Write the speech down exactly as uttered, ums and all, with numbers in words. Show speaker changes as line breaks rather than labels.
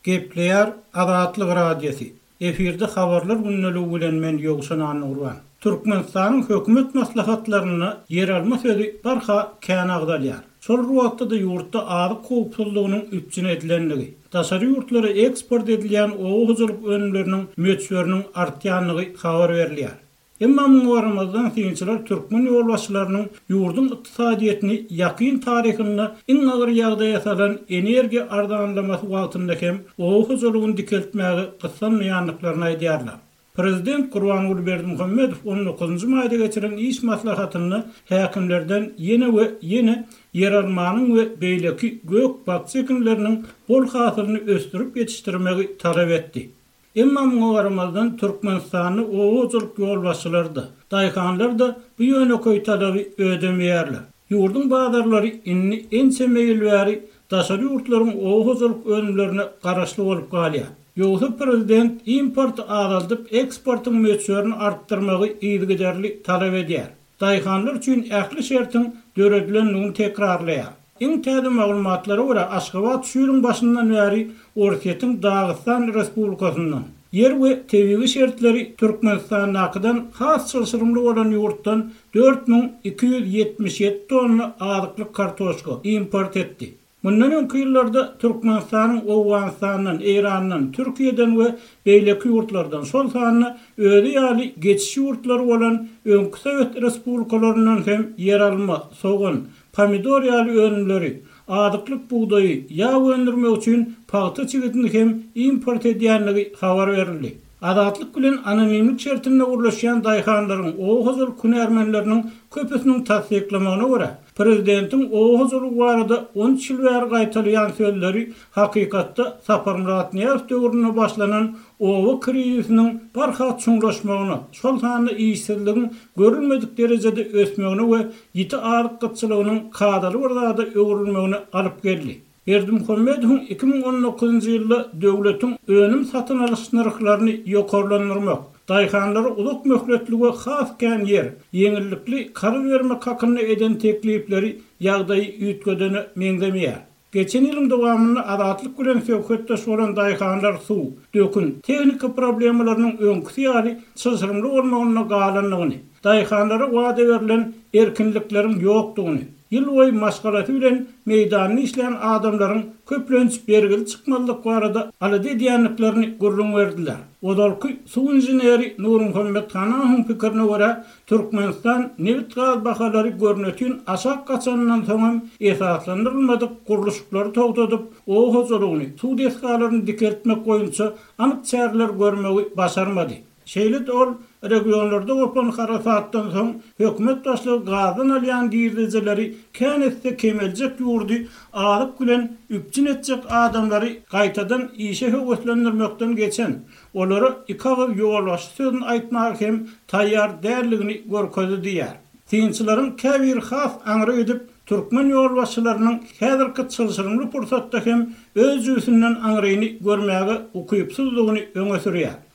Gepleýär Azatlyk Radiosy. Efirde habarlar gündeligi bilen men Ýowşan Annagurban. Türkmenistanyň hökümet maslahatlarynda ýeralma sözi barha kän agzalýar. Şol wagtda-da ýurtda azyk howpsuzlygynyň üpjün edilendigi, daşary ýurtlara eksport edilýän oba hojalyk önümleriniň möçberiniň artýandygy habar berilýär. Emma muňa garamazdan synçylar türkmen ýolbaşçylarynyň ýurduň ykdysadyýetini ýakyn taryhynda iň agyr ýagdaýa salan energiýa arzanlamasy wagtynda hem oba hojalygyny dikeltmäge gyssanmaýandyklaryny aýdýarlar. Prezident Gurbanguly Berdimuhamedow on dokuzynjy maýda geçiren iş maslahatynda häkimlerden ýene we ýene ýeralmanyň we beýleki gök bakja ekinleriniň bol hasylyny ösdürip ýetişdirmegi talap etdi. Emma muňa garamazdan Türkmenistanda oba hojalyk ýolbaşçylary-da, daýhanlar-da bu ýönekeý talaby ödemeýärler. Ýurduň bazarlary indi ençeme ýyl bäri daşary ýurtlaryň oba hojalyk önümlerine garaşly bolup galýar. Ýogsa prezident importy azaldyp eksportyň möçberini artdyrmagy yzygiderli talap edýär. Daýhanlar üçin ähli şertiň döredilendigini tekrarlaýar. Iň täze maglumatlara görä Aşgabat şu ýylyň başyndan bäri Orsýetiň Dagystan Respublikasyndan ýer we tebigy şertleri Türkmenistandakydan has çylşyrymly bolan ýurtdan dört müň iki ýüz ýetmiş ýedi tonna azyklyk kartoşka import etdi. Mundan öňki ýyllarda Türkmenistanyň Owganystandan, Eýrandan, Türkiýeden we beýleki ýurtlardan, şol sanda özi ýaly geçiş ýurtlary bolan öňki Sowet Respublikalaryndan hem ýeralma, sogan, pomidor ýaly önümleri, azyklyk bugdaýy, ýag öndürmek üçin pagta çigidini hem import edýänligi habar berildi. Azatlyk bilen anonimlik şertinde gurlaşýan daýhanlaryň, oba hojalyk hünärmenleriniň köpüsiniň tassyklamagyna görä, prezidentiň oba hojalygy barada on üç ýyl bäri gaýtalaýan sözleri hakykatda Saparmyrat Nyýazow döwründe başlanan oba krizisiniň barha çuňlaşmagyna, şol sanda işsizligiň görülmedik derejede ösmegine we ýiti azyk gytçylygynyň kadaly bir zada öwrülmegine alyp geldi. Berdimuhamedowyň iki müň on dokuzynjy ýylda döwletiň önüm satyn alyş nyrhlaryny ýokarlandyrmak, daýhanlara uzak möhletli we has kän ýer, ýeňillikli karz bermek hakynda eden teklipleri ýagdaýy üýtgedene meňzemeýär. Geçen ýylyň dowamynda Azatlyk bilen söhbetdeş bolan daýhanlar suw, dökün, tehnika problemalarynyň öňküsi ýaly çylşyrymly bolmagynda galandygyny, daýhanlara wada berlen erkinlikleriň ýokdugyny, ýyl boýy maşgalasy bilen meýdanyny işleýän adamlaryň köplenç bergili çykmazlyk barada alada edýändiklerini gürrüň berdiler. Ozalky suw inženeri Nurmuhammet Hanawyň pikirine görä, Türkmenistan nebit gaz bahalary görnütin aşak gaçandan soň hem esaslandyrylmadyk gurluşyklary togtadyp, oba hojalygyny, suw desgalaryny dikeltmek boýunça anyk çäreler görmegi başarmady. Şeýle-de ol regionlarda gopan harasatdan soň hökümet başlygy gazdan alýan girdejileri kän etse kemeljek ýurdy azyk bilen üpjün etjek adamlary gaýtadan işe höweslendirmekden geçen, olara iki agyz ýolbaşçy sözüni aýtmaga hem taýýar däldigini görkezdi diýär. Synçylaryň käbiri has aňry gidip, türkmen ýolbaşçylarynyň häzirki çylşyrymly pursatda hem öz jübüsinden aňryny görmäge ukypsyzlygyny öňe sürýär.